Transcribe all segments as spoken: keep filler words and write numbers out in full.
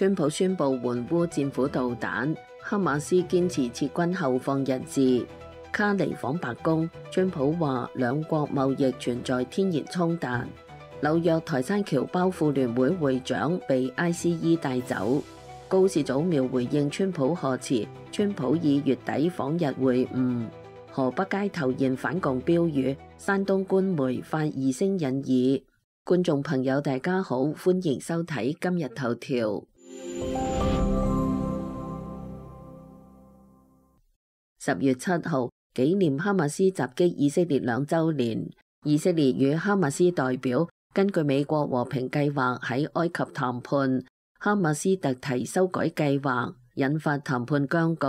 川普宣布援烏戰斧導彈，哈馬斯堅持撤軍後放人質。卡尼訪白宮，川普話兩國貿易存在天然衝突。紐約台山僑胞婦聯會會長被 I C E 帶走。高市早苗回應川普賀詞，川普以月底訪日會晤。河北街頭現反共標語，山東官媒發二聲引議。觀眾朋友大家好，歡迎收睇今日頭條。十月七號紀念哈馬斯襲擊以色列兩週年，以色列與哈馬斯代表根據美國和平計劃喺埃及談判，哈馬斯特提修改計劃，引發談判僵局。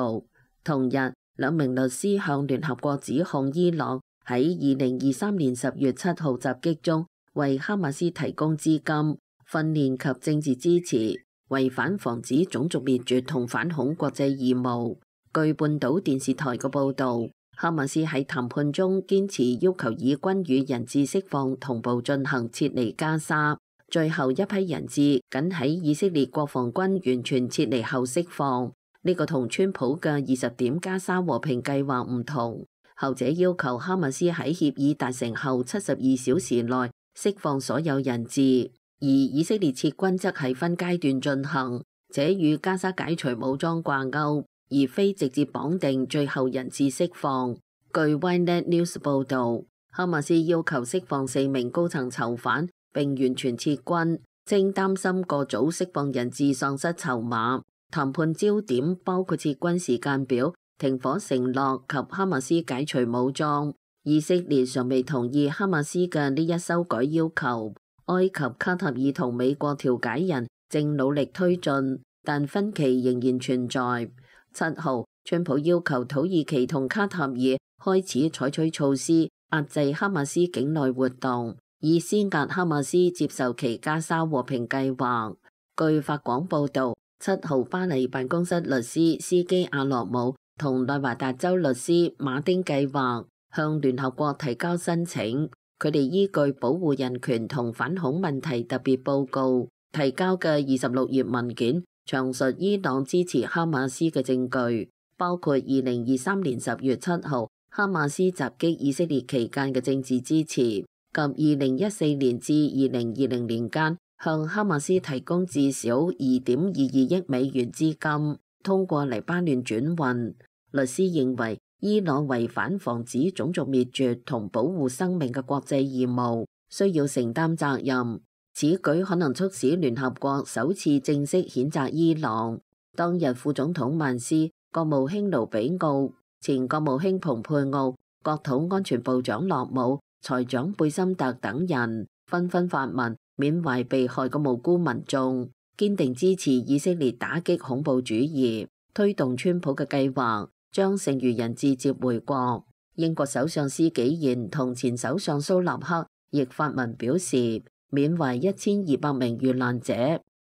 同日，兩名律師向聯合國指控伊朗喺二零二三年十月七號襲擊中為哈馬斯提供資金、訓練及政治支持，違反防止種族滅絕同反恐國際義務。據半島電視台嘅報導，哈馬斯喺談判中堅持要求以軍與人質釋放同步進行撤離加沙，最後一批人質僅喺以色列國防軍完全撤離後釋放。呢個同川普嘅二十點加沙和平計劃唔同，後者要求哈馬斯喺協議達成後七十二小時內釋放所有人質，而以色列撤軍則係分階段進行，這與加沙解除武裝掛鈎，而非直接綁定最後人質釋放。據 Ynet News 報導，哈馬斯要求釋放四名高層囚犯並完全撤軍，正擔心過早釋放人質喪失籌碼。談判焦點包括撤軍時間表、停火承諾及哈馬斯解除武裝。以色列尚未同意哈馬斯嘅呢一修改要求。埃及、卡塔爾同美國調解人正努力推進，但分歧仍然存在。七號，川普要求土耳其同卡塔爾開始採取措施壓制哈馬斯境內活動，以施壓哈馬斯接受其加沙和平計劃。據法廣報導，七號巴黎辦公室律師斯基亞洛姆同內華達州律師馬丁計劃向聯合國提交申請，佢哋依據保護人權同反恐問題特別報告提交嘅二十六頁文件，詳述伊朗支持哈馬斯嘅證據，包括二零二三年十月七號哈馬斯襲擊以色列期間嘅政治支持，及二零一四年至二零二零年間向哈馬斯提供至少二點二二億美元資金，通過黎巴嫩轉運。律師認為伊朗違反防止種族滅絕同保護生命嘅國際義務，需要承擔責任。此舉可能促使聯合國首次正式譴責伊朗。當日副總統曼斯、國務卿盧比奧、前國務卿蓬佩奧、國土安全部長洛姆、財長貝森特等人紛紛發文緬懷被害嘅無辜民眾，堅定支持以色列打擊恐怖主義，推動川普嘅計劃，將剩餘人質接回國。英國首相施紀賢同前首相蘇納克亦發文表示緬懷一千二百名遇難者，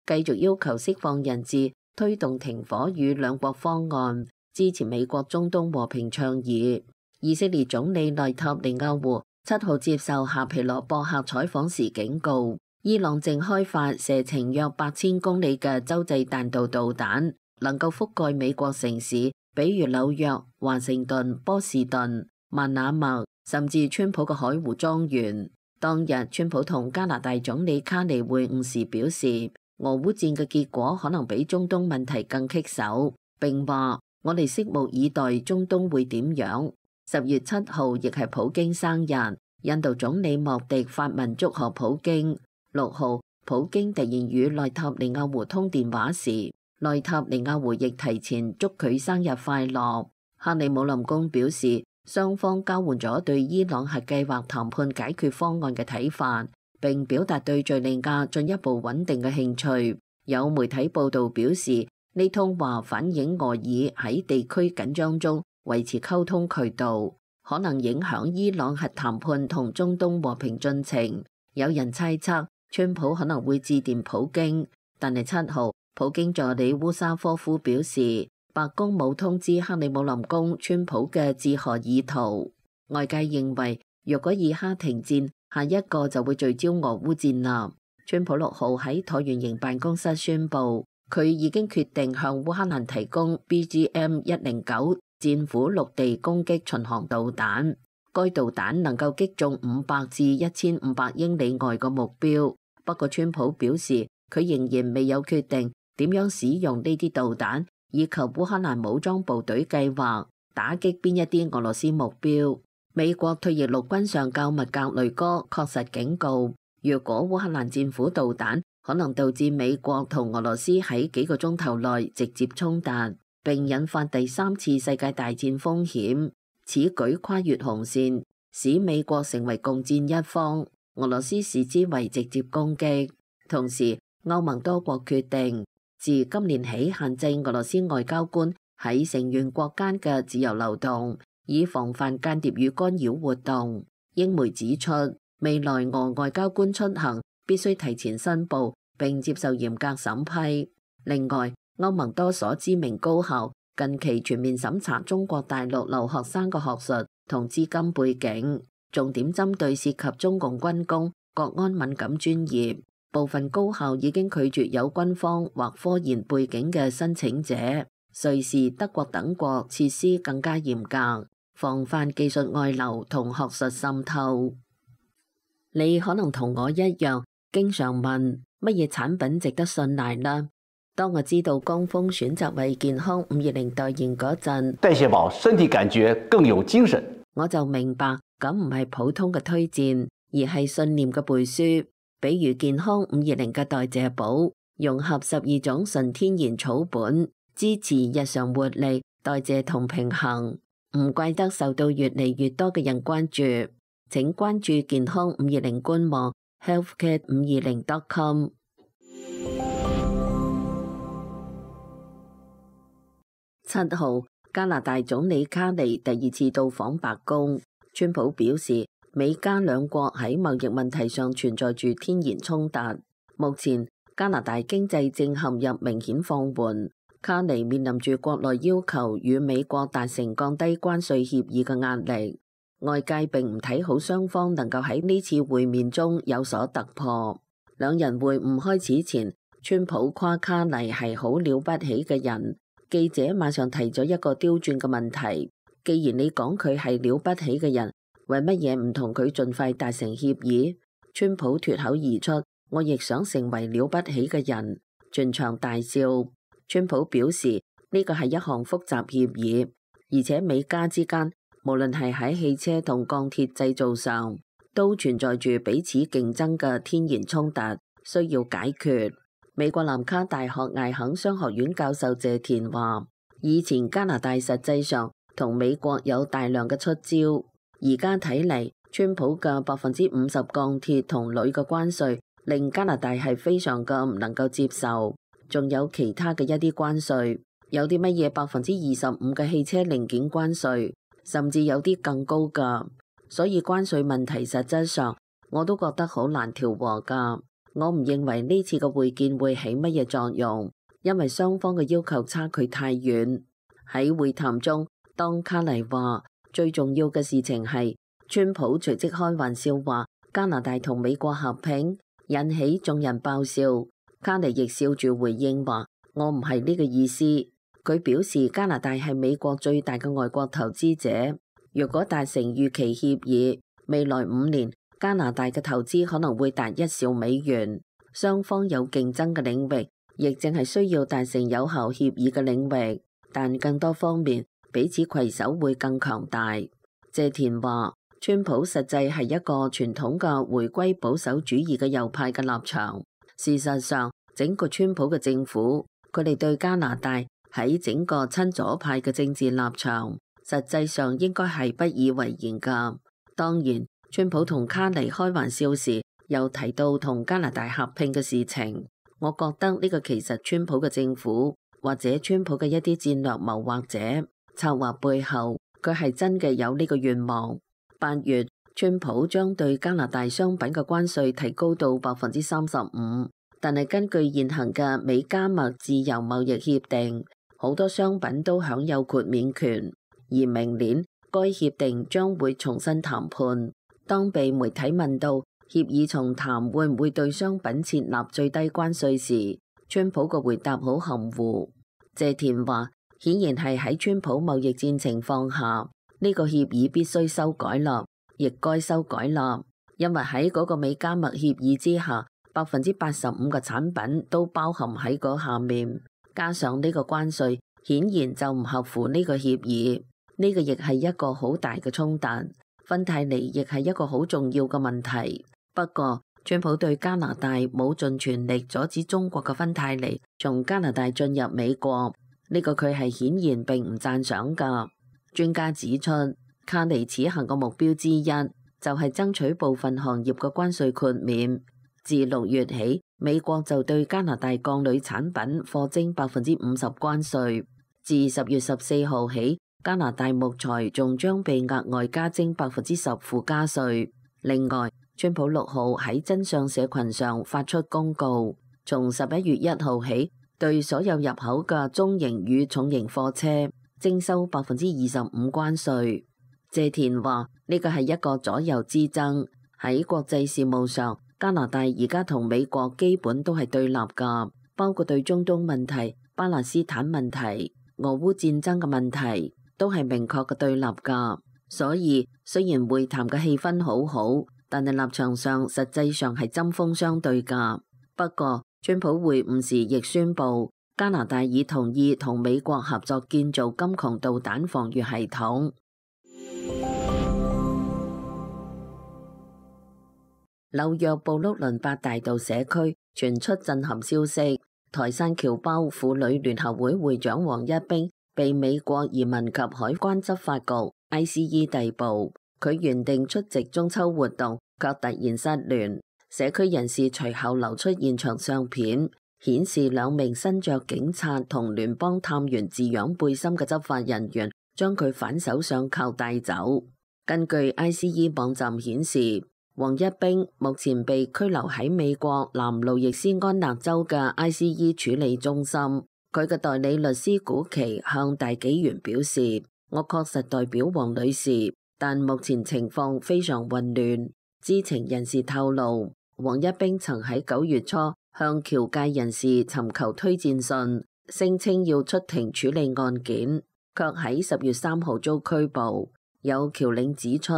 繼續要求釋放人質，推動停火與兩國方案，支持美國中東和平倡議。以色列總理內塔尼亞胡七號接受夏皮羅博客採訪時警告，伊朗正開發射程約八千公里嘅洲際彈道導彈，能夠覆蓋美國城市，比如紐約、華盛頓、波士頓、曼那默，甚至川普嘅海湖莊園。當日，川普同加拿大總理卡尼會晤時表示，俄烏戰嘅結果可能比中東問題更棘手，並話我哋拭目以待中東會點樣。十月七號亦係普京生日，印度總理莫迪發文祝賀普京。六號，普京突然與內塔尼亞胡通電話時，內塔尼亞胡亦提前祝佢生日快樂。克里姆林宮表示，雙方交換咗對伊朗核計劃談判解決方案嘅睇法，並表達對敘利亞進一步穩定嘅興趣。有媒體報導表示，呢通話反映俄以喺地區緊張中維持溝通渠道，可能影響伊朗核談判同中東和平進程。有人猜測川普可能會致電普京，但係七號普京助理烏沙科夫表示，白宮冇通知克里姆林宮川普嘅致賀意圖。外界認為，若果以哈停戰，下一個就會聚焦俄烏戰啦。川普六號喺橢圓形辦公室宣布，佢已經決定向烏克蘭提供 B G M 一零九戰斧陸地攻擊巡航導彈，該導彈能夠擊中五百至一千五百英里外嘅目標。不過，川普表示佢仍然未有決定點樣使用呢啲導彈，以及烏克蘭武裝部隊計劃打擊邊一啲俄羅斯目標。美國退役陸軍上校麥格雷戈確實警告，如果烏克蘭戰斧導彈可能導致美國同俄羅斯喺幾個鐘頭內直接衝突，並引發第三次世界大戰風險。此舉跨越紅線，使美國成為共戰一方，俄羅斯視之為直接攻擊。同時，歐盟多國決定自今年起限制俄羅斯外交官喺成員國間嘅自由流動，以防範間諜與干擾活動。英媒指出，未來俄外交官出行必須提前申報並接受嚴格審批。另外，歐盟多所知名高校近期全面審查中國大陸留學生嘅學術同資金背景，重點針對涉及中共軍工、國安敏感專業。部分高校已經拒絕有軍方或科研背景嘅申請者。瑞士、德國等國設施更加嚴格，防範技術外流同學術滲透。你可能同我一樣，經常問乜嘢產品值得信賴呢？當我知道江峰選擇為健康五二零代言嗰陣，代謝寶身體感覺更有精神，我就明白咁唔係普通嘅推薦，而係信念嘅背書。比如健康五二零嘅代謝寶，融合十二種純天然草本，支持日常活力、代謝同平衡，唔怪得受到越嚟越多嘅人關注。請關注健康五二零官網 healthcare 五二零 dot com。七號，加拿大總理卡尼第二次到訪白宮。川普表示，美加兩國喺貿易問題上存在住天然衝突。目前，加拿大經濟正陷入明顯放緩。卡尼面臨住國內要求與美國達成降低關稅協議嘅壓力。外界並唔睇好雙方能夠喺呢次會面中有所突破。兩人會晤開始前，川普誇卡尼係好了不起嘅人。記者馬上提咗一個刁鑽嘅問題：既然你講佢係了不起嘅人，為乜嘢唔同佢盡快達成協議？川普脫口而出：我亦想成為了不起嘅人。全場大笑。川普表示呢個係一項複雜協議，而且美加之間無論係喺汽車同鋼鐵製造上，都存在住彼此競爭嘅天然衝突，需要解決。美國南卡大學艾肯商學院教授謝田話：以前加拿大實際上同美國有大量嘅出招，而家睇嚟，川普嘅百分之五十鋼鐵同鋁嘅關稅，令加拿大係非常嘅唔能夠接受。仲有其他嘅一啲關稅，有啲乜嘢百分之二十五嘅汽車零件關稅，甚至有啲更高㗎。所以關稅問題實質上我都覺得好難調和㗎。我唔認為呢次嘅會見會起乜嘢作用，因為雙方嘅要求差距太遠。喺會談中，當卡尼話最重要嘅事情係，川普隨即開玩笑話加拿大同美國合併，引起眾人爆笑。卡尼亦笑住回應話：我唔係呢個意思。佢表示加拿大係美國最大嘅外國投資者，若果達成預期協議，未來五年加拿大嘅投資可能會達一兆美元。雙方有競爭嘅領域，亦淨係需要達成有效協議嘅領域，但更多方面彼此攜手會更強大。謝田話：川普實際係一個傳統嘅回歸保守主義嘅右派嘅立場。事實上，整個川普嘅政府，佢哋對加拿大喺整個親左派嘅政治立場，實際上應該係不以為然㗎。當然，川普同卡尼開玩笑時，又提到同加拿大合併嘅事情。我覺得呢個其實川普嘅政府或者川普嘅一啲戰略謀劃者策劃背後，佢係真嘅有呢個願望。八月，川普將對加拿大商品嘅關稅提高到百分之三十五，但係根據現行嘅美加墨自由貿易協定，好多商品都享有豁免權，而明年該協定將會重新談判。當被媒體問到協議重談會唔會對商品設立最低關稅時，川普個回答好含糊。謝田話：顯然係喺川普貿易戰情況下，呢個協議必須修改啦，亦該修改啦，因為喺嗰個美加墨協議之下，百分之八十五嘅產品都包含喺嗰下面，加上呢個關稅，顯然就唔合乎呢個協議。呢個亦係一個好大嘅衝突。芬太尼亦係一個好重要嘅問題。不過，川普對加拿大冇盡全力阻止中國嘅芬太尼從加拿大進入美國，呢個佢係顯然並唔讚賞㗎。專家指出，卡尼此行嘅目標之一就係爭取部分行業嘅關稅豁免。自六月起，美國就對加拿大鋼鋁產品課徵百分之五十關稅。自十月十四號起，加拿大木材仲將被額外加徵百分之十附加稅。另外，川普六號喺真相社群上發出公告，從十一月一號起，對所有入口嘅中型與重型貨車徵收百分之二十五關稅。謝田話：呢個係一個左右之爭。喺國際事務上，加拿大而家同美國基本都係對立㗎，包括對中東問題、巴勒斯坦問題、俄烏戰爭嘅問題，都係明確嘅對立㗎。所以雖然會談嘅氣氛好好，但係立場上實際上係針鋒相對㗎。不過，川普會晤時亦宣布，加拿大已同意同美國合作建造金窮導彈防禦系統。紐約布魯倫八大道社區傳出震撼消息，台山僑胞婦女聯合會會長王一冰被美國移民及海關執法局 I C E 逮捕。佢原定出席中秋活動，卻突然失聯。社區人士隨後流出現場相片，顯示兩名身着警察同聯邦探員字樣背心嘅執法人員將佢反手上銬帶走。根據 I C E 網站顯示，王一冰目前被拘留喺美國南路易斯安那州嘅 I C E 處理中心。佢嘅代理律師古奇向大紀元表示：我確實代表王女士，但目前情況非常混亂。知情人士透露，王一冰曾喺九月初向僑界人士尋求推薦信，聲稱要出庭處理案件，卻喺十月三號遭拘捕。有僑領指出，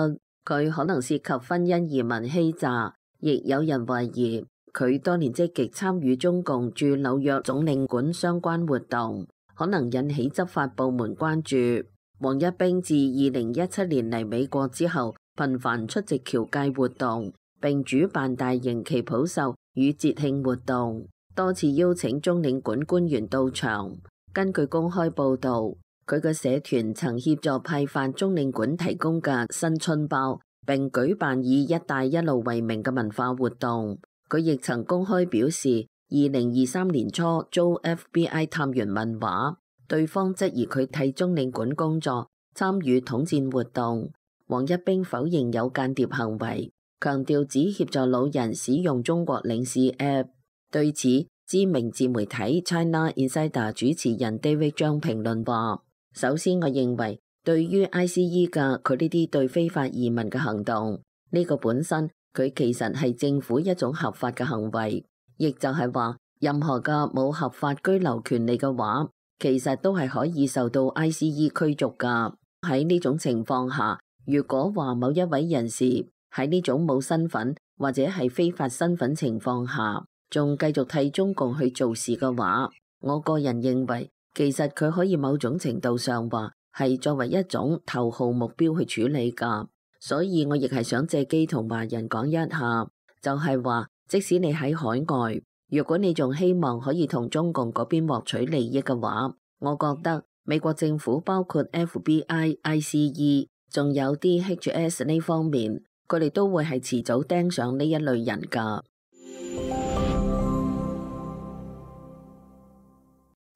佢可能涉及婚姻移民欺詐，亦有人懷疑佢多年積極參與中共駐紐約總領館相關活動，可能引起執法部門關注。王一冰自二零一七年嚟美國之後，頻繁出席僑界活動，並主辦大型旗袍秀與節慶活動，多次邀請中領館官員到場。根據公開報導，佢嘅社團曾協助派發中領館提供嘅新春包，並舉辦以一帶一路為名嘅文化活動。佢亦曾公開表示，二零二三年初遭 F B I 探員問話，對方質疑佢替中領館工作，參與統戰活動。王一冰否認有間諜行為，強調只協助老人使用中國領事 App。對此，知名自媒體 China Insider 主持人 David 張評論話：首先，我認為對於 I C E 嘅佢呢啲對非法移民嘅行動，呢個本身佢其實係政府一種合法嘅行為，亦就係話任何嘅冇合法居留權利嘅話，其實都係可以受到 I C E 驅逐㗎。喺呢種情況下，如果話某一位人士喺呢種冇身份或者係非法身份情況下，仲繼續替中共去做事嘅話，我個人認為，其實佢可以某種程度上話係作為一種頭號目標去處理㗎，所以我亦係想借機同華人講一下，就係話即使你喺海外，如果你仲希望可以同中共嗰邊獲取利益嘅話，我覺得美國政府包括 F B I、I C E， 仲有啲 H S 呢方面，佢哋都會係遲早盯上呢一類人㗎。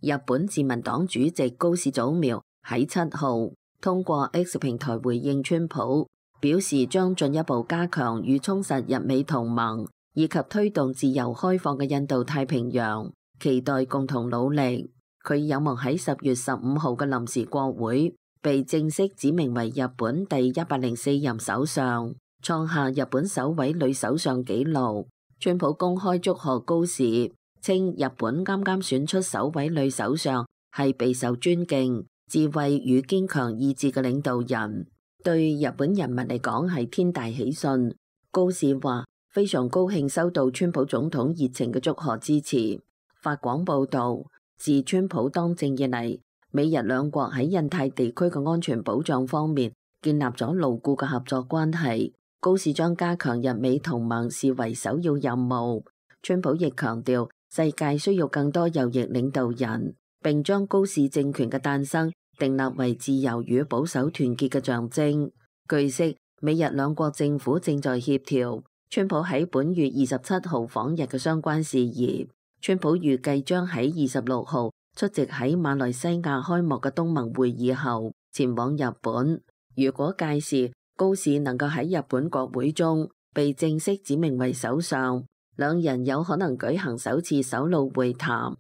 日本自民黨主席高市早苗喺七號通過 X 平台回應川普，表示將進一步加強與充實日美同盟，以及推動自由開放嘅印度太平洋，期待共同努力。佢有望喺十月十五號嘅臨時國會被正式指名為日本第一百零四任首相，創下日本首位女首相紀錄。川普公開祝賀高市，稱日本啱啱選出首位女首相，係備受尊敬、智慧與堅強意志嘅領導人，對日本人民嚟講係天大喜訊。高市話非常高興收到川普總統熱情嘅祝賀支持。法廣報導，自川普當政以嚟，美日兩國喺印太地區嘅安全保障方面建立咗牢固嘅合作關係。高市將加強日美同盟視為首要任務。川普亦強調世界需要更多右翼領導人，並將高市政權嘅誕生訂立為自由與保守團結嘅象徵。據悉，美日兩國政府正在協調川普喺本月二十七號訪日嘅相關事宜。川普預計將喺二十六號出席喺馬來西亞開幕嘅東盟會議後前往日本。如果屆時高市能夠喺日本國會中被正式指名為首相，兩人有可能舉行首次首腦會談。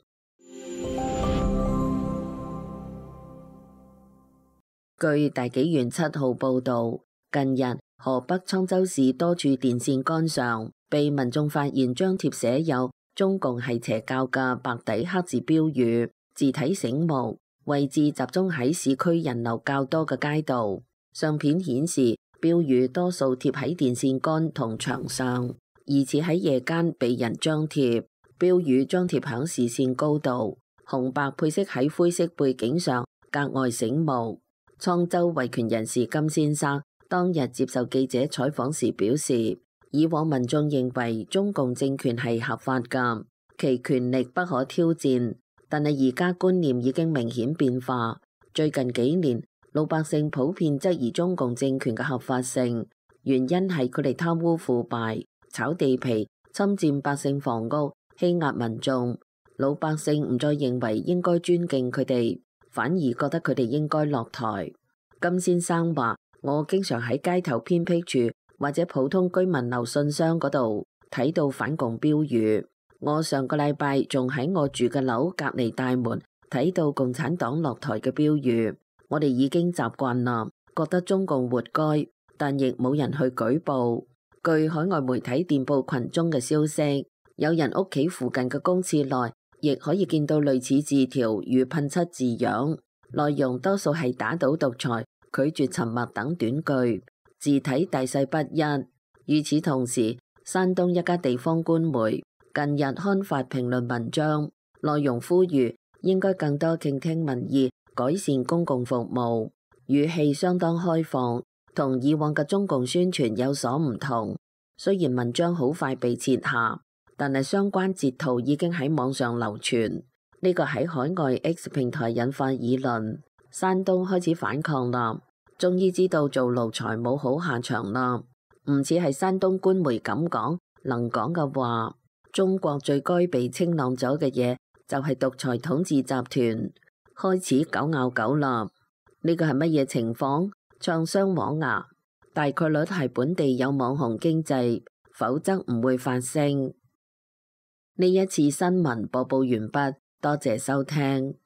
據大紀元七號報導，近日河北滄州市多處電線桿上被民眾發現張貼寫有中共係邪教嘅白底黑字標語，字體醒目，位置集中喺市區人流較多嘅街道。相片顯示標語多數貼喺電線桿同牆上，疑似喺夜間被人張貼。標語張貼響視線高度，紅白配色喺灰色背景上格外醒目。滄州維權人士金先生當日接受記者採訪時表示，以往民眾認為中共政權係合法㗎，其權力不可挑戰，但係而家觀念已經明顯變化。最近幾年，老百姓普遍質疑中共政權嘅合法性，原因係佢哋貪污腐敗、炒地皮、侵佔百姓房屋、欺壓民眾。老百姓唔再認為應該尊敬佢哋，反而覺得佢哋應該落台。金先生話：我經常喺街頭偏僻處或者普通居民留信箱嗰度睇到反共標語。我上個禮拜仲喺我住嘅樓隔離大門睇到共產黨落台嘅標語。我哋已經習慣啦，覺得中共活該，但亦冇人去舉報。據海外媒體電報群中嘅消息，有人屋企附近嘅公廁內亦可以見到類似字條與噴漆字樣，內容多數係打倒獨裁、拒絕沉默等短句，字體大細不一。與此同時，山東一家地方官媒近日刊發評論文章，內容呼籲應該更多傾聽民意，改善公共服務，語氣相當開放，同以往嘅中共宣傳有所唔同。雖然文章好快被撤下，但係相關截圖已經喺網上流傳。呢個喺海外 X 平台引發議論。山東開始反抗啦，終於知道做奴才冇好下場啦。唔似係山東官媒咁講，能講嘅話，中國最該被清朗咗嘅嘢就係獨裁統治集團。開始狗咬狗啦！呢個係乜嘢情況？唱雙簧牙，大概率係本地有網紅經濟，否則唔會發聲。呢一次新聞播報完畢，多謝收聽。